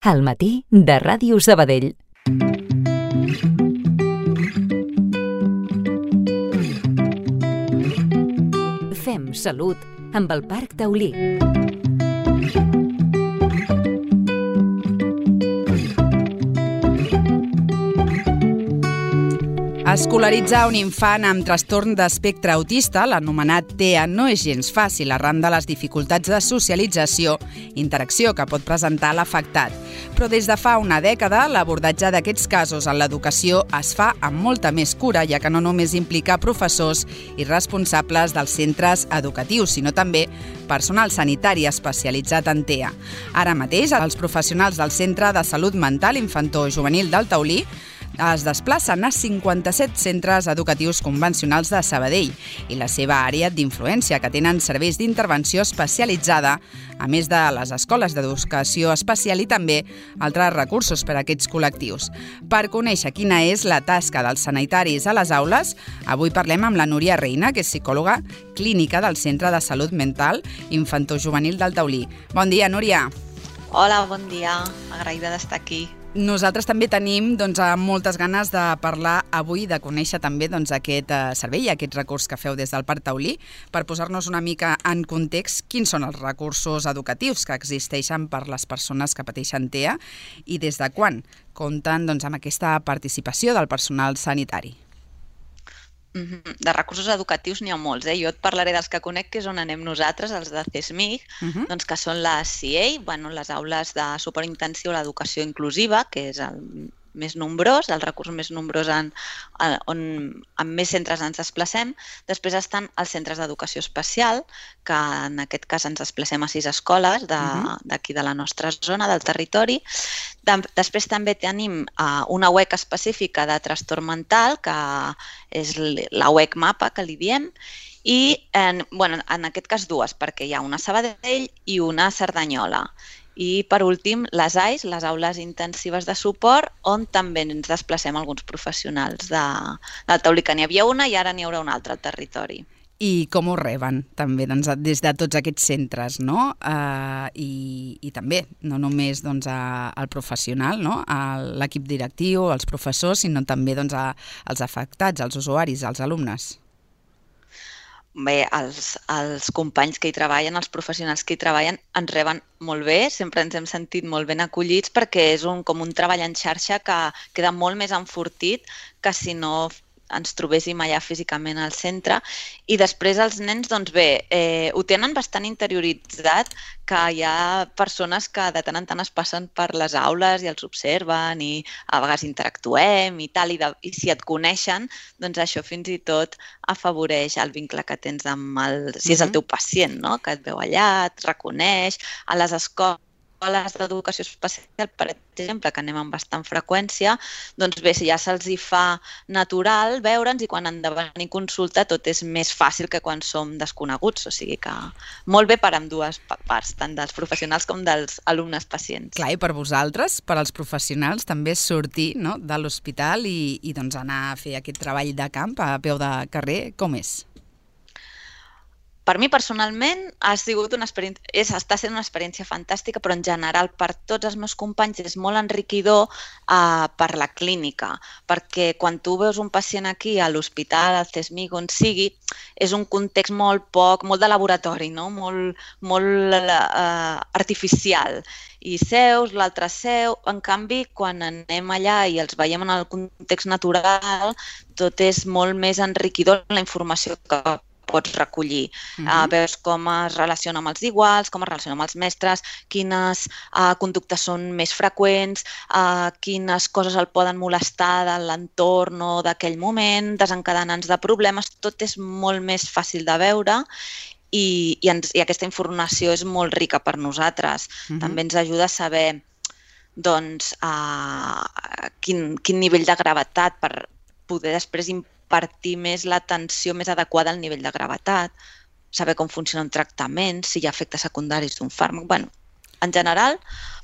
Al matí de Ràdio Sabadell. Fem salut amb el Parc Taulí. Escolaritzar un infant amb trastorn d'espectre autista, l'anomenat TEA, no és gens fàcil arran de les dificultats de socialització i interacció que pot presentar l'afectat. Però des de fa una dècada, l'abordatge d'aquests casos en l'educació es fa amb molta més cura, ja que no només implica professors i responsables dels centres educatius, sinó també personal sanitari especialitzat en TEA. Ara mateix, els professionals del Centre de Salut Mental Infantojuvenil del Taulí es desplacen a 57 centres educatius convencionals de Sabadell i la seva àrea d'influència, que tenen serveis d'intervenció especialitzada, a més de les escoles d'educació especial i també altres recursos per a aquests col·lectius. Per conèixer quina és la tasca dels sanitaris a les aules, avui parlem amb la Núria Reina, que és psicòloga clínica del Centre de Salut Mental Infantojuvenil del Taulí. Bon dia, Núria. Hola, bon dia. Agraïda d'estar aquí. Nosaltres també tenim moltes ganes de parlar avui, de conèixer també aquest servei i aquest recurs que feu des del Parc Taulí, per posar-nos una mica en context quins són els recursos educatius que existeixen per les persones que pateixen TEA i des de quan compten amb aquesta participació del personal sanitari. De recursos educatius n'hi ha molts. Jo et parlaré dels que conec, que és on anem nosaltres, els de CESMIC, que són les CIEI, les aules de suport intensiu a l'educació inclusiva, que és el més nombrós, el recurs més nombrós on amb més centres ens desplacem. Després estan els centres d'educació especial, que en aquest cas ens desplacem a 6 escoles d'aquí de la nostra zona, del territori. Després també tenim una UEC específica de trastorn mental, que és la UEC MAPA, que li diem, i en aquest cas dues, perquè hi ha una a Sabadell i una a Cerdanyola. I, per últim, les AIS, les aules intensives de suport, on també ens desplacem alguns professionals del Taulí, que n'hi havia una i ara n'hi haurà una altra al territori. I com ho reben, també, des de tots aquests centres, no? I també, no només el professional, no? L'equip directiu, els professors, sinó també els afectats, els usuaris, els alumnes. Bé, els companys que hi treballen, els professionals que hi treballen, ens reben molt bé, sempre ens hem sentit molt ben acollits perquè és com un treball en xarxa que queda molt més enfortit que si no ens trobéssim allà físicament al centre. I després els nens, ho tenen bastant interioritzat, que hi ha persones que de tant en tant es passen per les aules i els observen i a vegades interactuem i tal, i si et coneixen, doncs això fins i tot afavoreix el vincle que tens amb si és el teu pacient, no? Que et veu allà, et reconeix. A les escoles d'educació especial, per exemple, que anem amb bastant freqüència, doncs bé, si ja se'ls hi fa natural veure'ns i quan han de venir a consulta tot és més fàcil que quan som desconeguts, o sigui que molt bé per ambdues parts, tant dels professionals com dels alumnes pacients. Clar, i per vosaltres, per als professionals, també sortir de l'hospital i anar a fer aquest treball de camp a peu de carrer, com és? Per mi, personalment, està sent una experiència fantàstica, però en general per tots els meus companys és molt enriquidor per la clínica, perquè quan tu veus un pacient aquí a l'hospital, al CESMIC, on sigui, és un context molt de laboratori, no? Molt artificial. I seus, l'altre seu. En canvi, quan anem allà i els veiem en el context natural, tot és molt més enriquidor la informació que pots recollir. Veus com es relaciona amb els iguals, com es relaciona amb els mestres, quines conductes són més freqüents, quines coses el poden molestar de l'entorn o d'aquell moment, desencadenants de problemes. Tot és molt més fàcil de veure i aquesta informació és molt rica per nosaltres. També ens ajuda a saber quin nivell de gravetat per poder després impartir més l'atenció més adequada al nivell de gravetat, saber com funciona un tractament, si hi ha efectes secundaris d'un fàrmac. en general,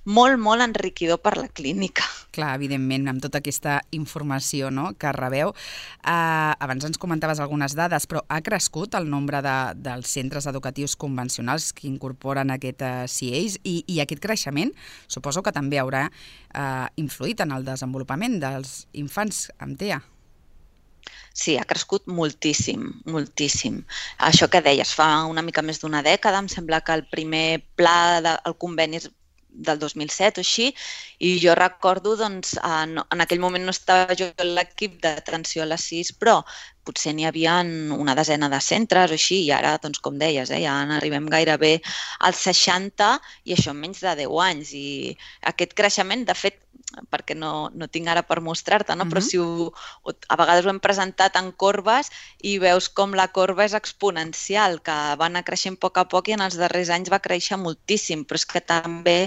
molt, molt enriquidor per la clínica. Clar, evidentment, amb tota aquesta informació, no?, que rebeu. Abans ens comentaves algunes dades, però ha crescut el nombre dels centres educatius convencionals que incorporen aquest CIEIS i aquest creixement suposo que també haurà influït en el desenvolupament dels infants amb TEA. Sí, ha crescut moltíssim, moltíssim. Això que deies, fa una mica més d'una dècada, em sembla que el primer pla del conveni del 2007 o així, i jo recordo, doncs, en aquell moment no estava jo en l'equip d'atenció a les 6, però potser n'hi havia una desena de centres o així, i ara, doncs, com deies, ja arribem gairebé als 60 i això en menys de 10 anys. I aquest creixement, de fet, perquè no tinc ara per mostrar-te, no? Però si a vegades ho hem presentat en corbes i veus com la corba és exponencial, que va anar creixent a poc i en els darrers anys va créixer moltíssim, però és que també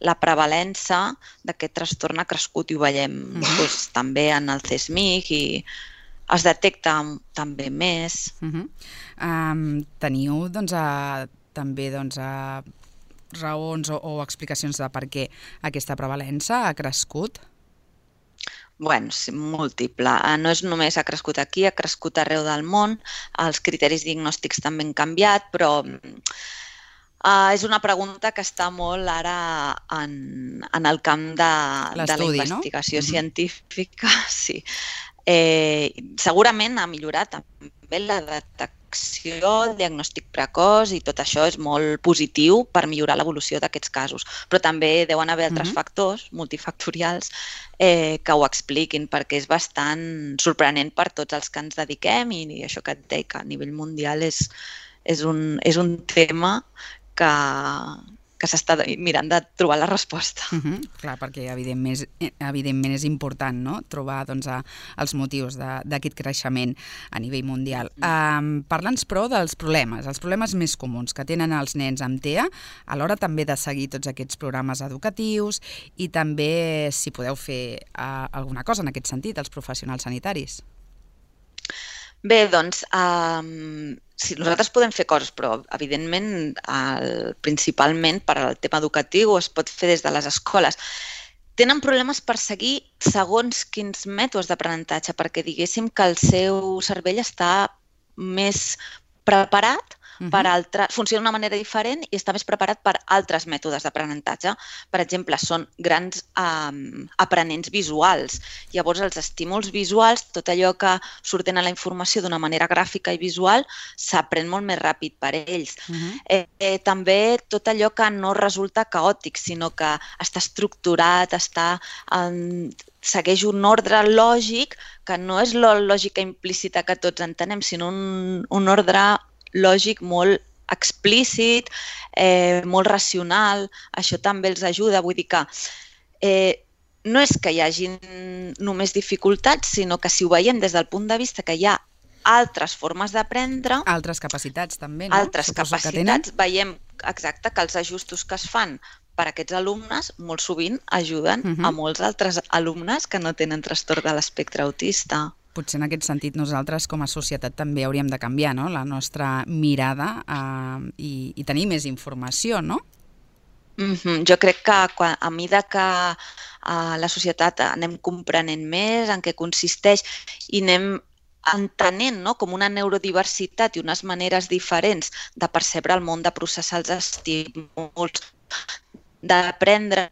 la prevalença d'aquest trastorn ha crescut i ho veiem també en el CESMIC i es detecta també més. Teniu també raons o explicacions de per què aquesta prevalença ha crescut? Bueno, sí, múltiple. No és només ha crescut aquí, ha crescut arreu del món, els criteris diagnòstics també han canviat, però és una pregunta que està molt ara en el camp de la investigació científica. Sí. Segurament ha millorat també la detecció, el diagnòstic precoç i tot això és molt positiu per millorar l'evolució d'aquests casos. Però també deuen haver altres factors multifactorials que ho expliquin, perquè és bastant sorprenent per tots els que ens dediquem i això que et deia, que a nivell mundial és un tema que s'està mirant de trobar la resposta. Clar, perquè evidentment és important, no?, trobar els motius d'aquest creixement a nivell mundial. Parla'ns, però, dels problemes, els problemes més comuns que tenen els nens amb TEA a l'hora també de seguir tots aquests programes educatius i també si podeu fer alguna cosa en aquest sentit, els professionals sanitaris. Bé, doncs, sí, nosaltres podem fer coses, però evidentment principalment per al tema educatiu es pot fer des de les escoles. Tenen problemes per seguir segons quins mètodes d'aprenentatge, perquè diguéssim que el seu cervell està més preparat per funciona d'una manera diferent i està més preparat per altres mètodes d'aprenentatge. Per exemple, són grans aprenents visuals. Llavors, els estímuls visuals, tot allò que surten a la informació d'una manera gràfica i visual, s'aprèn molt més ràpid per ells. També tot allò que no resulta caòtic, sinó que està estructurat, segueix un ordre lògic, que no és la lògica implícita que tots entenem, sinó un ordre lògic molt explícit, molt racional. Això també els ajuda. Vull dir que no és que hi hagi només dificultats, sinó que si ho veiem des del punt de vista que hi ha altres formes d'aprendre... Altres capacitats també, no? Altres capacitats, veiem exacte que els ajustos que es fan per a aquests alumnes molt sovint ajuden a molts altres alumnes que no tenen trastorn de l'espectre autista. Potser en aquest sentit nosaltres com a societat també hauríem de canviar, no?, la nostra mirada i tenir més informació, no? Jo crec que a mesura que la societat anem comprenent més en què consisteix i anem entenent com una neurodiversitat i unes maneres diferents de percebre el món, de processar els estímuls, d'aprendre,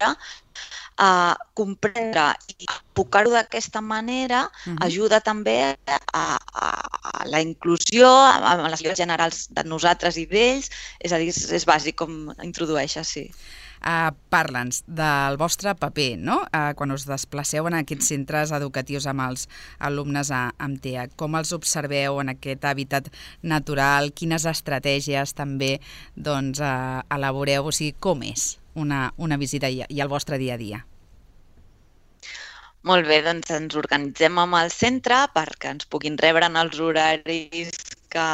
comprendre i enfocar-ho d'aquesta manera ajuda també a la inclusió, a les llibres generals de nosaltres i d'ells, és a dir, és bàsic com introdueixes, sí. Parla'ns del vostre paper, no?, quan us desplaceu en aquests centres educatius amb els alumnes amb TEA. Com els observeu en aquest hàbitat natural? Quines estratègies també elaboreu? O sigui, com és una visita i el vostre dia a dia? Molt bé, doncs ens organitzem amb el centre perquè ens puguin rebre en els horaris que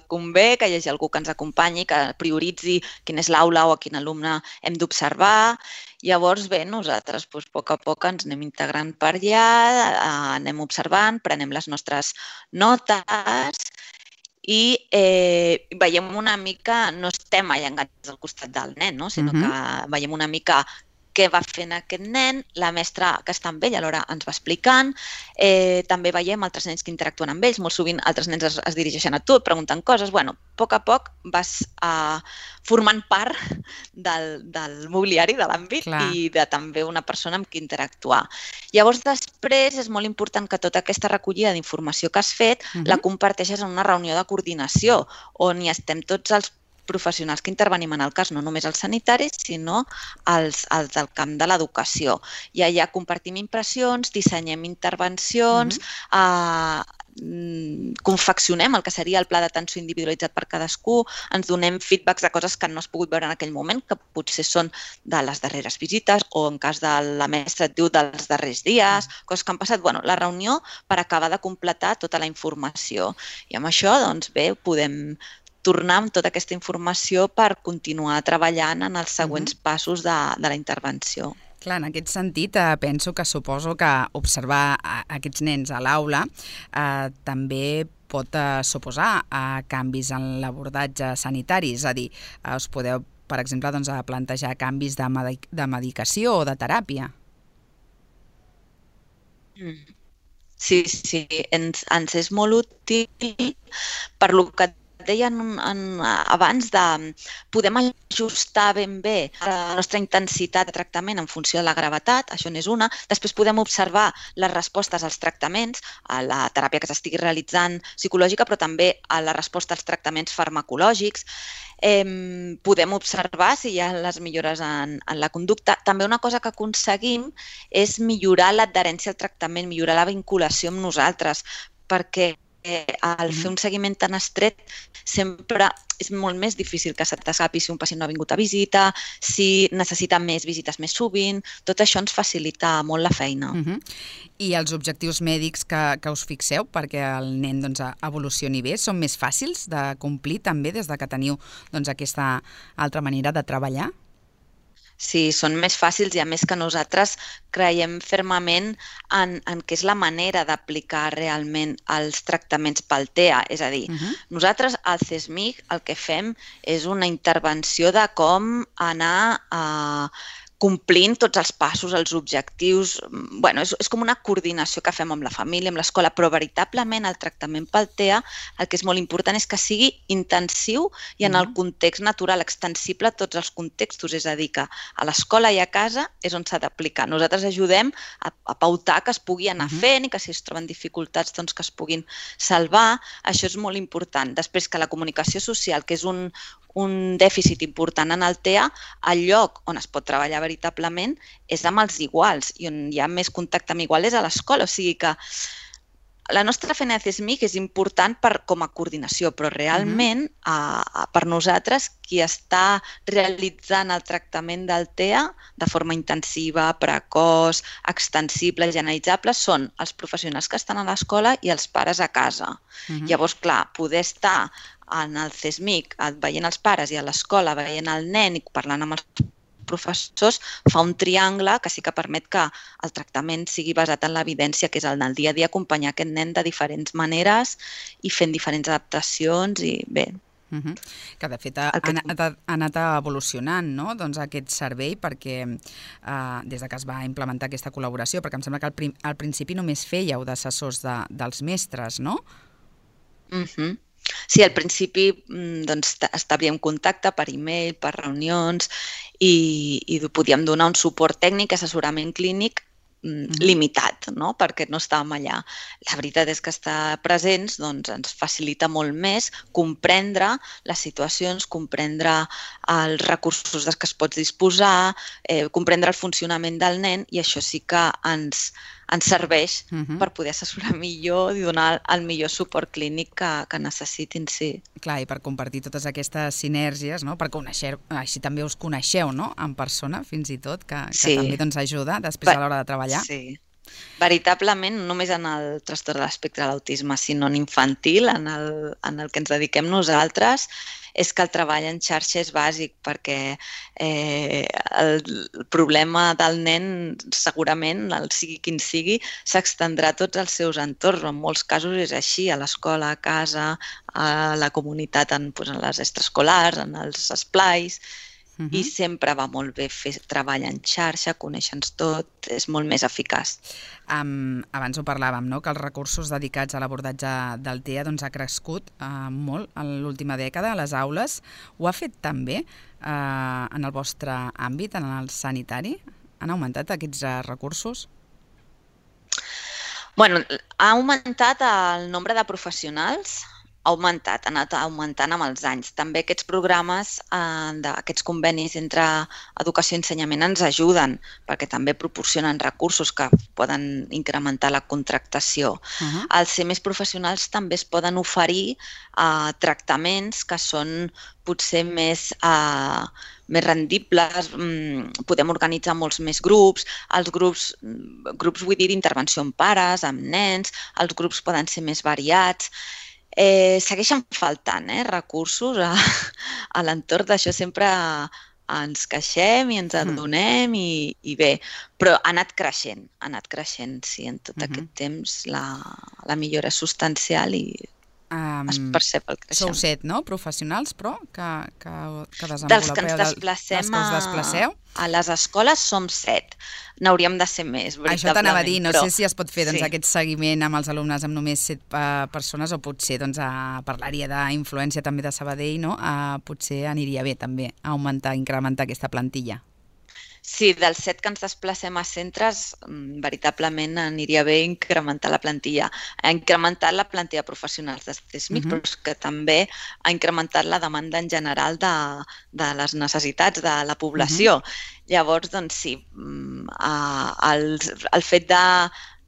convé, que hi hagi algú que ens acompanyi, que prioritzi quina és l'aula o a quin alumne hem d'observar. Llavors, bé, nosaltres a poc a poc ens anem integrant per allà, anem observant, prenem les nostres notes i veiem una mica, no estem allangats al costat del nen, no? Sinó que veiem una mica què va fent aquest nen, la mestra que està amb ell alhora ens va explicant, també veiem altres nens que interactuen amb ells, molt sovint altres nens es dirigeixen a tu, et pregunten coses, bueno, a poc vas formant part del mobiliari de l'àmbit i de també una persona amb qui interactuar. Llavors, després és molt important que tota aquesta recollida d'informació que has fet la comparteixes en una reunió de coordinació, on hi estem tots els professionals que intervenim en el cas, no només els sanitaris, sinó els del camp de l'educació. I allà compartim impressions, dissenyem intervencions, confeccionem el que seria el pla d'atenció individualitzat per cadascú, ens donem feedbacks de coses que no has pogut veure en aquell moment, que potser són de les darreres visites o en cas de la mestra et diu dels darrers dies, coses que han passat. Bueno, la reunió per acabar de completar tota la informació. I amb això, doncs bé, podem tornar amb tota aquesta informació per continuar treballant en els següents passos de la intervenció. Clar, en aquest sentit, penso que suposo que observar aquests nens a l'aula també pot suposar canvis en l'abordatge sanitari, és a dir, us podeu, per exemple, plantejar canvis de medicació o de teràpia. Sí, ens és molt útil per lo que deien abans de podem ajustar ben bé la nostra intensitat de tractament en funció de la gravetat, això n'és una. Després podem observar les respostes als tractaments, a la teràpia que s'estigui realitzant psicològica, però també a la resposta als tractaments farmacològics. Podem observar si hi ha les millores en la conducta. També una cosa que aconseguim és millorar l'adherència al tractament, millorar la vinculació amb nosaltres, perquè al fer un seguiment tan estret sempre és molt més difícil que se t'escapi si un pacient no ha vingut a visita, si necessita més visites més sovint, tot això ens facilita molt la feina. I els objectius mèdics que us fixeu perquè el nen evolucioni bé són més fàcils de complir també des que teniu aquesta altra manera de treballar? Sí, són més fàcils i a més que nosaltres creiem fermament en què és la manera d'aplicar realment els tractaments pel TEA. És a dir, nosaltres al CESMIC el que fem és una intervenció de com anar complint tots els passos, els objectius. Bueno, és com una coordinació que fem amb la família, amb l'escola, però veritablement el tractament pel TEA el que és molt important és que sigui intensiu i en el context natural, extensible a tots els contextos, és a dir, que a l'escola i a casa és on s'ha d'aplicar. Nosaltres ajudem a pautar que es pugui anar fent i que si es troben dificultats doncs que es puguin salvar. Això és molt important. Després que la comunicació social, que és un dèficit important en el TEA, el lloc on es pot treballar veritablement és amb els iguals i on hi ha més contacte amb iguals és a l'escola. O sigui que la nostra feina de CESMIC és important com a coordinació, però realment per nosaltres qui està realitzant el tractament del TEA de forma intensiva, precoç, extensible, generalitzable són els professionals que estan a l'escola i els pares a casa. Llavors, clar, poder estar en el CESMIC veient els pares i a l'escola veient el nen i parlant amb els professors fa un triangle que sí que permet que el tractament sigui basat en l'evidència, que és el del dia a dia, acompanyar aquest nen de diferents maneres i fent diferents adaptacions i bé. Que de fet ha anat evolucionant aquest servei perquè des que es va implementar aquesta col·laboració, perquè em sembla que al principi només fèieu d'assessors dels mestres, no? Sí, al principi establíem contacte per e-mail, per reunions i podíem donar un suport tècnic, assessorament clínic limitat, perquè no estàvem allà. La veritat és que estar presents ens facilita molt més comprendre les situacions, comprendre els recursos dels que es pot disposar, comprendre el funcionament del nen i això sí que ens serveix per poder assessorar millor i donar el millor suport clínic que necessitin, sí. Clar, i per compartir totes aquestes sinergies, perquè així també us coneixeu en persona, fins i tot, que també ajuda després a l'hora de treballar. Sí. Veritablement, no només en el trastorn de l'espectre de l'autisme, sinó en infantil, en el que ens dediquem nosaltres, és que el treball en xarxa és bàsic, perquè el problema del nen, segurament, sigui quin sigui, s'extendrà a tots els seus entorns. En molts casos és així, a l'escola, a casa, a la comunitat, en les extraescolars, en els esplais, i sempre va molt bé fer treball en xarxa, conèixer-nos tot, és molt més eficaç. Abans ho parlàvem, no? Que els recursos dedicats a l'abordatge del TEA ha crescut molt en l'última dècada a les aules. Ho ha fet també en el vostre àmbit, en el sanitari? Han augmentat aquests recursos? Bueno, ha augmentat el nombre de professionals, ha anat augmentant amb els anys. També aquests programes, aquests convenis entre educació i ensenyament ens ajuden, perquè també proporcionen recursos que poden incrementar la contractació. Al ser més professionals també es poden oferir tractaments que són potser més rendibles, podem organitzar molts més grups, els grups vull dir d'intervenció amb pares, amb nens, els grups poden ser més variats. Segueixen faltant recursos a l'entorn d'això, sempre ens queixem i ens adonem i bé, però ha anat creixent, sí, en tot aquest temps la millora és substancial i es percep el creixement. Sou 7, no?, professionals, però, que desenvolupeu... Dels que ens desplacem a les escoles som 7. N'hauríem de ser més, veritablement. Això t'anava a dir, no sé si es pot fer aquest seguiment amb els alumnes amb només 7 persones o potser parlaria d'influència també de Sabadell, no? Potser aniria bé també incrementar aquesta plantilla. Sí, dels 7 que ens desplacem a centres, veritablement aniria bé incrementar la plantilla. Ha incrementat la plantilla de professionals de CESMIC, però és que també ha incrementat la demanda en general de les necessitats de la població. Llavors, doncs sí, el fet de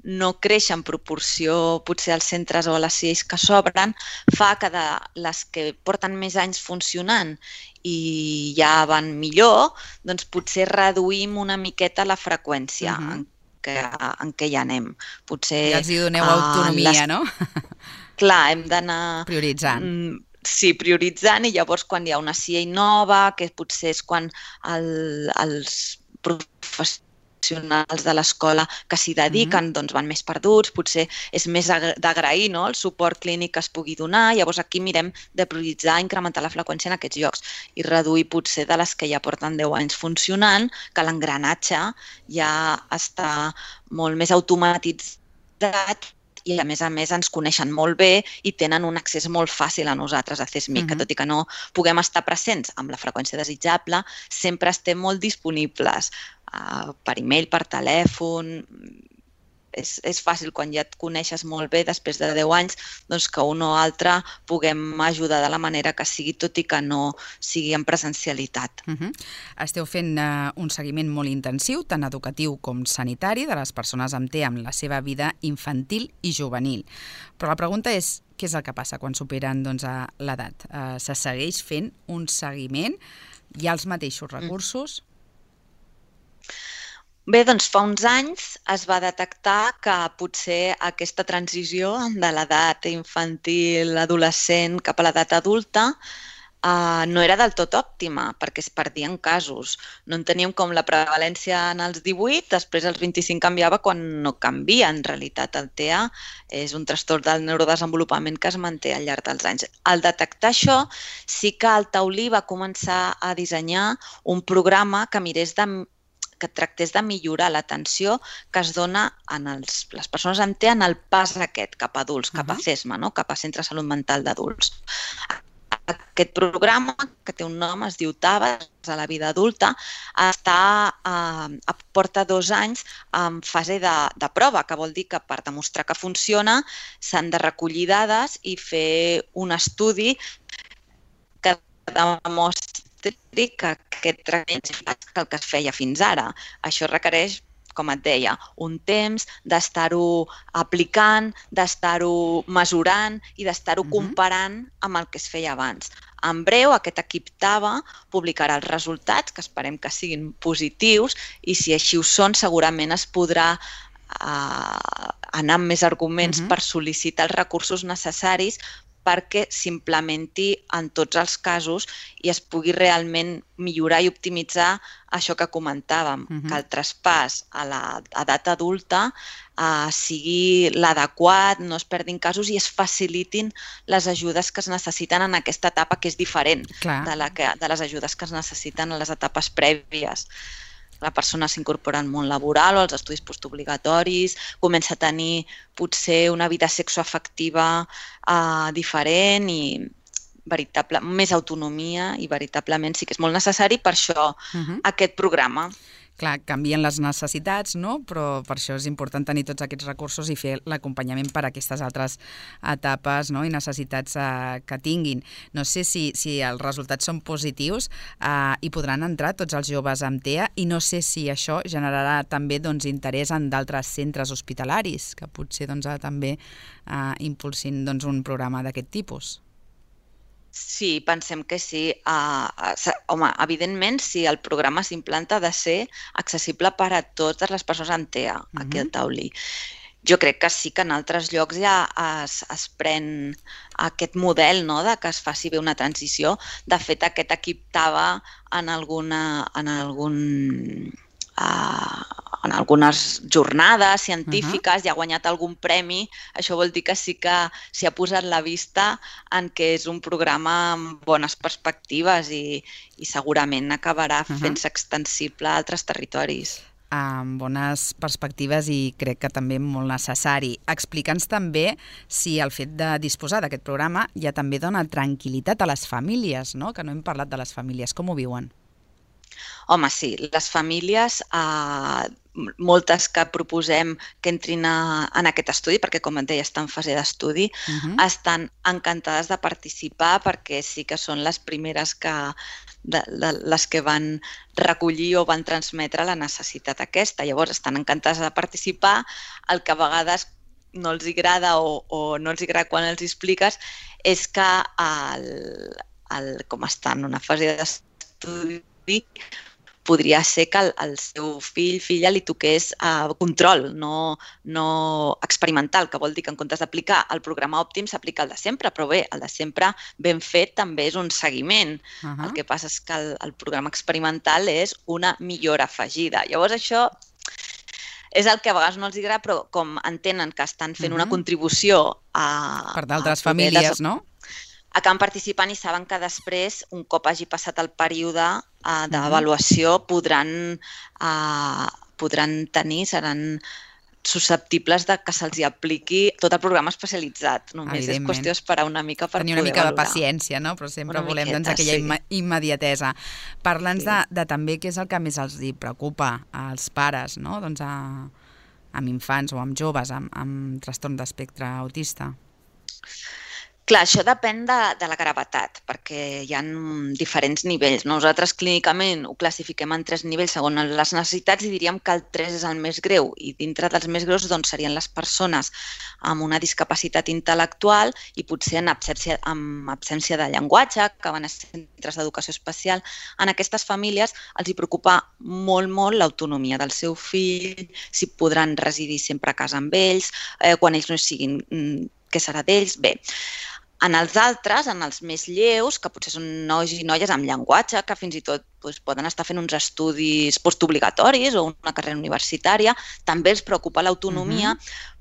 no créixer en proporció potser als centres o a les CIEs que s'obren fa que de les que porten més anys funcionant i ja van millor, doncs potser reduïm una miqueta la freqüència en què hi anem. I els hi doneu autonomia, no? Clar, hem d'anar... prioritzant. Sí, prioritzant, i llavors quan hi ha una CIE nova, que potser és quan els professionals de l'escola que s'hi dediquen doncs van més perduts, potser és més d'agrair el suport clínic que es pugui donar, llavors aquí mirem de prioritzar, incrementar la freqüència en aquests llocs i reduir potser de les que ja porten 10 anys funcionant, que l'engranatge ja està molt més automatitzat i a més ens coneixen molt bé i tenen un accés molt fàcil a nosaltres, a CESMIC, que tot i que no puguem estar presents amb la freqüència desitjable, sempre estem molt disponibles per e-mail, per telèfon. És fàcil quan ja et coneixes molt bé després de 10 anys doncs que un o altre puguem ajudar de la manera que sigui, tot i que no sigui en presencialitat. Esteu fent un seguiment molt intensiu, tant educatiu com sanitari, de les persones amb TEA en la seva vida infantil i juvenil. Però la pregunta és, què és el que passa quan superen l'edat? Se segueix fent un seguiment? Hi ha els mateixos recursos? Bé, doncs fa uns anys es va detectar que potser aquesta transició de l'edat infantil, adolescent, cap a l'edat adulta no era del tot òptima, perquè es perdien casos. No en teníem com la prevalència en els 18, després els 25 canviava quan no canvia. En realitat el TEA és un trastorn del neurodesenvolupament que es manté al llarg dels anys. Al detectar això, sí que el Taulí va començar a dissenyar un programa que tractés de millorar l'atenció que es dona a les persones amb TEA en el pas aquest cap a adults, cap a CESMA, cap a Centre de Salut Mental d'Adults. Aquest programa, que té un nom, es diu TABAS, a la vida adulta, porta 2 anys en fase de prova, que vol dir que per demostrar que funciona s'han de recollir dades i fer un estudi que demostri que aquest tractament és més que el que es feia fins ara. Això requereix, com et deia, un temps d'estar-ho aplicant, d'estar-ho mesurant i d'estar-ho comparant amb el que es feia abans. En breu, aquest equip TABA publicarà els resultats, que esperem que siguin positius, i si així ho són, segurament es podrà anar amb més arguments per sol·licitar els recursos necessaris perquè s'implementi en tots els casos i es pugui realment millorar i optimitzar això que comentàvem, que el traspàs a l'edat adulta sigui l'adequat, no es perdin casos i es facilitin les ajudes que es necessiten en aquesta etapa, que és diferent de les ajudes que es necessiten en les etapes prèvies. La persona s'incorpora al món laboral o als estudis postobligatoris, comença a tenir potser una vida sexoafectiva diferent i més autonomia i veritablement sí que és molt necessari per això aquest programa. Clar, canvien les necessitats, no? Però per això és important tenir tots aquests recursos i fer l'acompanyament per a aquestes altres etapes, no? I necessitats que tinguin. No sé si els resultats són positius i podran entrar tots els joves amb TEA i no sé si això generarà també interès en d'altres centres hospitalaris que potser també impulsin un programa d'aquest tipus. Sí, pensem que sí. Home, evidentment, si el programa s'implanta ha de ser accessible per a totes les persones amb TEA, aquí al Taulí. Jo crec que sí que en altres llocs ja es pren aquest model de que es faci bé una transició. De fet, aquest equip TABA en algunes jornades científiques i ha guanyat algun premi, això vol dir que sí que s'hi ha posat la vista en què és un programa amb bones perspectives i segurament acabarà fent-se extensible a altres territoris. Amb bones perspectives i crec que també molt necessari. Explica'ns també si el fet de disposar d'aquest programa ja també dona tranquil·litat a les famílies, no? Que no hem parlat de les famílies. Com ho viuen? Home, sí, les famílies, moltes que proposem que entrin en aquest estudi, perquè com et deia està en fase d'estudi, estan encantades de participar perquè sí que són les primeres les que van recollir o van transmetre la necessitat aquesta. Llavors estan encantades de participar, el que a vegades no els agrada o no els agrada quan els expliques és que com està en una fase d'estudi podria ser que el seu fill, filla, li toqués control, no experimental, que vol dir que en comptes d'aplicar el programa òptim s'aplica el de sempre, però bé, el de sempre ben fet també és un seguiment. El que passa és que el programa experimental és una millora afegida. Llavors això és el que a vegades no els agrada, però com entenen que estan fent una contribució per d'altres famílies, no? Acaben participant i saben que després, un cop hagi passat el període d'avaluació, podran tenir, seran susceptibles de que se'ls apliqui tot el programa especialitzat. Només és qüestió d'esperar una mica per poder valorar. Tenir una mica de paciència, no? Però sempre volem aquella immediatesa. Parla'ns de també què és el que més els preocupa als pares, no? Amb infants o amb joves amb trastorn d'espectre autista. Clar, això depèn de la gravetat, perquè hi ha diferents nivells. Nosaltres clínicament ho classifiquem en 3 nivells segons les necessitats i diríem que el 3 és el més greu. I dintre dels més greus serien les persones amb una discapacitat intel·lectual i potser amb absència de llenguatge, que van a centres d'educació especial. En aquestes famílies els hi preocupa molt, molt l'autonomia del seu fill, si podran residir sempre a casa amb ells, quan ells no hi siguin, què serà d'ells? Bé, en els altres, en els més lleus, que potser són nois i noies amb llenguatge, que fins i tot poden estar fent uns estudis postobligatoris o una carrera universitària, també els preocupa l'autonomia,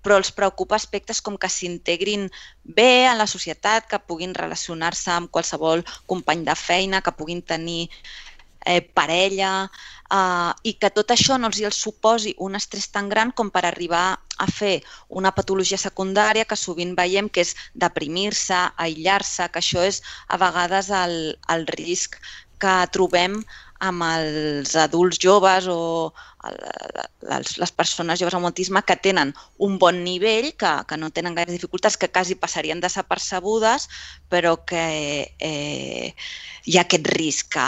però els preocupa aspectes com que s'integrin bé en la societat, que puguin relacionar-se amb qualsevol company de feina, que puguin tenir parella, i que tot això no els suposi un estrès tan gran com per arribar a fer una patologia secundària que sovint veiem que és deprimir-se, aïllar-se, que això és a vegades el risc que trobem amb els adults joves o les persones joves amb autisme que tenen un bon nivell, que no tenen gaires dificultats, que quasi passarien desapercebudes, però que hi ha aquest risc que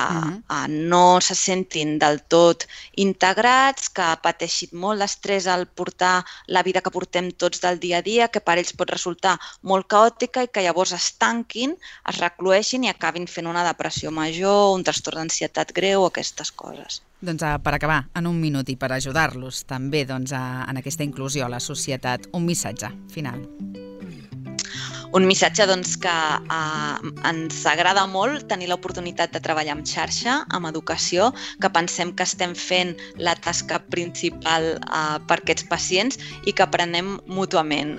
no se sentin del tot integrats, que pateixin molt d'estrès al portar la vida que portem tots del dia a dia, que per ells pot resultar molt caòtica i que llavors es tanquin, es recloeixin i acabin fent una depressió major, un trastorn d'ansietat greu o aquestes coses. Doncs per acabar, en un minut, minut i per ajudar-los també doncs, en aquesta inclusió a la societat. Un missatge final. Un missatge doncs, que ens agrada molt tenir l'oportunitat de treballar en xarxa, amb educació, que pensem que estem fent la tasca principal per aquests pacients i que aprenem mútuament.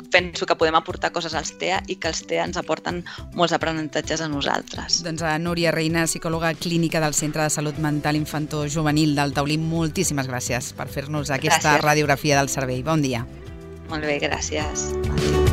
Penso que podem aportar coses als TEA i que els TEA ens aporten molts aprenentatges a nosaltres. Doncs a Núria Reina, psicòloga clínica del Centre de Salut Mental Infanto-Juvenil del Taulí, moltíssimes gràcies per fer-nos aquesta radiografia del servei. Bon dia. Molt bé, gràcies. Adéu.